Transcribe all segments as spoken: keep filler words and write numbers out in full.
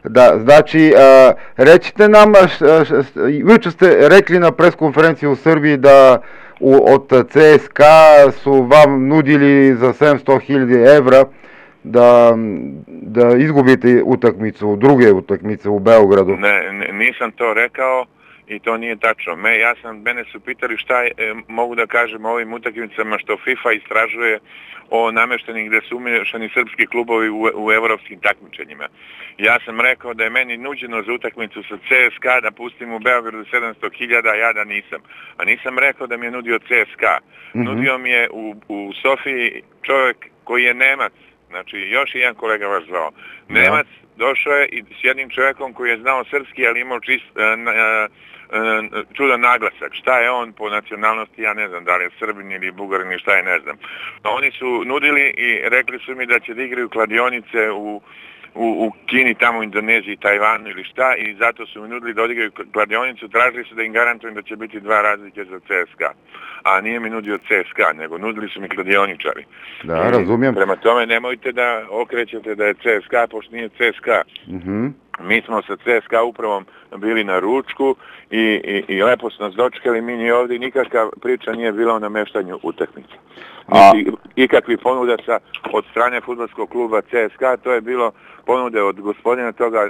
Da, znači, a, recite nam, š, š, juče ste rekli na preskonferenciji u Srbiji da u, od C S K A su vam nudili za sedamsto hiljada evra da, da izgubite utakmicu, druge utakmice u Beogradu. Ne, ne, nisam to rekao i to nije tačno. Me, ja sam, mene su pitali šta je, e, mogu da kažem o ovim utakmicama što FIFA istražuje o nameštenim gde su umješani srpski klubovi u, u evropskim takmičenjima. Ja sam rekao da je meni nuđeno za utakmicu sa C S K A da pustim u Beogradu sedamsto hiljada, ja da nisam. A nisam rekao da mi je nudio C S K A. Mm-hmm. Nudio mi je u, u Sofiji čovjek koji je Nemac. Znači, još jedan kolega vas zvao. Nemac došao je i s jednim čovjekom koji je znao srpski, ali imao čist, uh, uh, uh, čudan naglasak. Šta je on po nacionalnosti, ja ne znam, da li je Srbin ili Bugarin ili šta je, ne znam. Oni su nudili i rekli su mi da će da igraju kladionice u, u, u Kini, tamo u Indoneziji, Tajvanu ili šta, i zato su mi nudili da odigraju kladionicu, tražili su da im garantujem da će biti dva razlike za C S K A. A nije mi nudio C S K A, nego nudili su mi kladioničari. Da, razumijem. Prema tome nemojte da okrećete da je C S K A, pošto nije C S K A. Mm-hmm. Mi smo sa C S K A upravom bili na ručku i, i, i lepo su nas dočekali, mi ni ovdje nikakva priča nije bila o nameštanju utakmice. Niti ikakvi ponuda sa, od strane fudbalskog kluba C S K A, to je bilo ponude od gospodina toga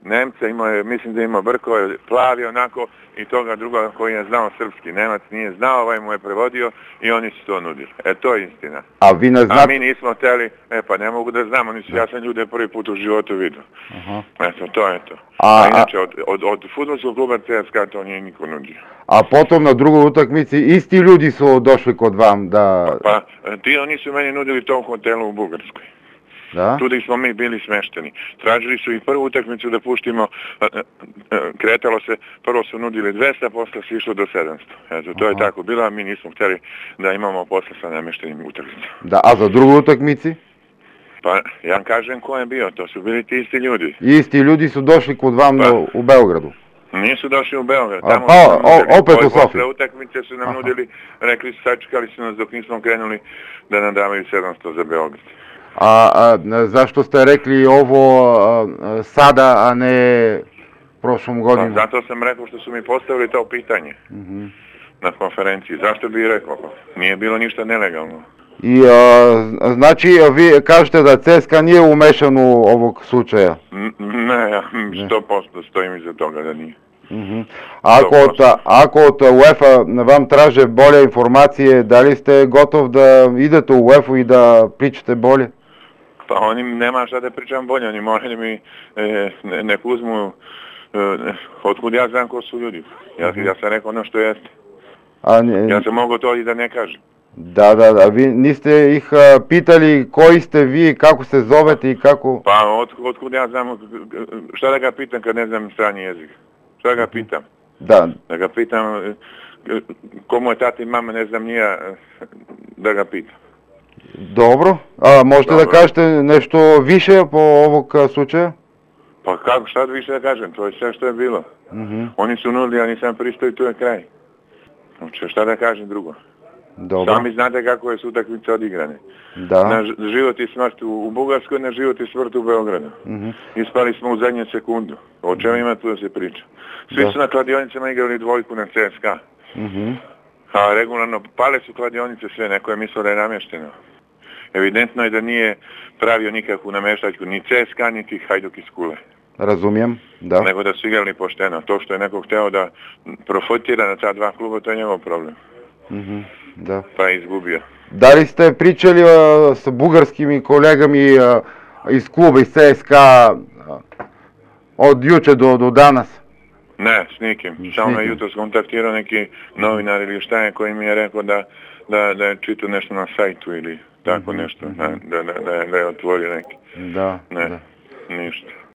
Nemca, imao je, mislim da ima brko, je plavi onako, i toga druga koji je znao srpski. Nemac nije znao, ovaj mu je prevodio i oni su to nudili. E, to je istina. A vi ne znate... A mi nismo htjeli, e pa ne mogu da znam, oni su, ja sam ljude prvi put u životu vidio. Uh-huh. Eto, to je to. A, a inače, od, od, od fudbalskog kluba C S K A to nije niko nudio. A potom na drugoj utakmici isti ljudi su došli kod vam da... Pa, pa ti oni su meni nudili tom hotelu u Bugarskoj. Da? Tu da smo mi bili smešteni. Tražili su i prvu utakmicu da puštimo, kretalo se, prvo su nudili dvesta, posle se išlo do sedamsto. Eto, to Aha. je tako bilo, a mi nismo htjeli da imamo posle sa nameštenim utakmicama. Da, a za drugu utakmici? Pa, ja kažem ko je bio, to su bili ti isti ljudi. Isti ljudi su došli kod vam pa, u Beogradu? Nisu došli u Beograd, tamo a, su o, nudili, opet u Sofiji. Posle utakmice su nam Aha. nudili, rekli su, sačekali su nas dok nismo krenuli da nam davaju sedamsto za Beograd. A, a zašto ste rekli ovo a, sada, a ne prošlom godinu? Pa, zato sam rekao što su mi postavili to pitanje uh-huh. na konferenciji. Zašto bi rekao? Nije bilo ništa nelegalno. I a, znači vi kažete da C S K A nije umešan u ovog slučaja? N- ne, ja sto posto stojim iza toga da nije. Uh-huh. Ako, od, ako od UEFA vam traže bolje informacije, da li ste gotov da idete u UEFA i da pričate bolje? Pa oni nema šta da pričam bolje, oni moraju mi e, ne, nek uzmu, e, otkud ja znam ko su ljudi. Ja, ja sam rekao ono što jeste. A ne, ja sam mogao to i da ne kažem. Da, da, da, vi niste ih a, pitali koji ste vi, kako se zovete i kako... Pa od, otkud ja znam, šta da ga pitam kad ne znam strani jezik? Šta da ga pitam? Da. Da ga pitam, komu je tata i mama, ne znam nija, da ga pitam. Dobro, a možete Dobro. da kažete nešto više po ovog slučaja? Pa kako, šta više da kažem, to je sve što je bilo. Uh-huh. Oni su nudili, ja nisam pristao i tu je kraj. Znači, šta da kažem drugo? Dobro. Sami znate kako je su utakmice odigrane. Da. Na život i smrt u, u Bugarskoj, na život i smrt u Beogradu. Uh-huh. Ispali smo u zadnje sekundu. O čemu ima tu da se priča? Svi da. su na kladionicama igrali dvojku na C S K A. Uh-huh. A regularno pale su kladionice sve, neko je mislio da je namješteno. Evidentno je da nije pravio nikakvu namještačku, ni C S K A, niti Hajduk iz Kule. Razumijem, da. Nego da su igrali pošteno. To što je neko hteo da profitira na ta dva kluba, to je njegov problem. Mm-hmm, da. Pa je izgubio. Da li ste pričali uh, sa bugarskim kolegami uh, iz kluba, iz C S K A uh, od juče do, do danas? Ne, s nikim. Samo me jutro skontaktirao neki novinar ili šta je koji mi je rekao da, da, da je čitao nešto na sajtu ili tako mm-hmm. nešto, da, da, da, da je otvorio neki. Da, ne, da. Ništa.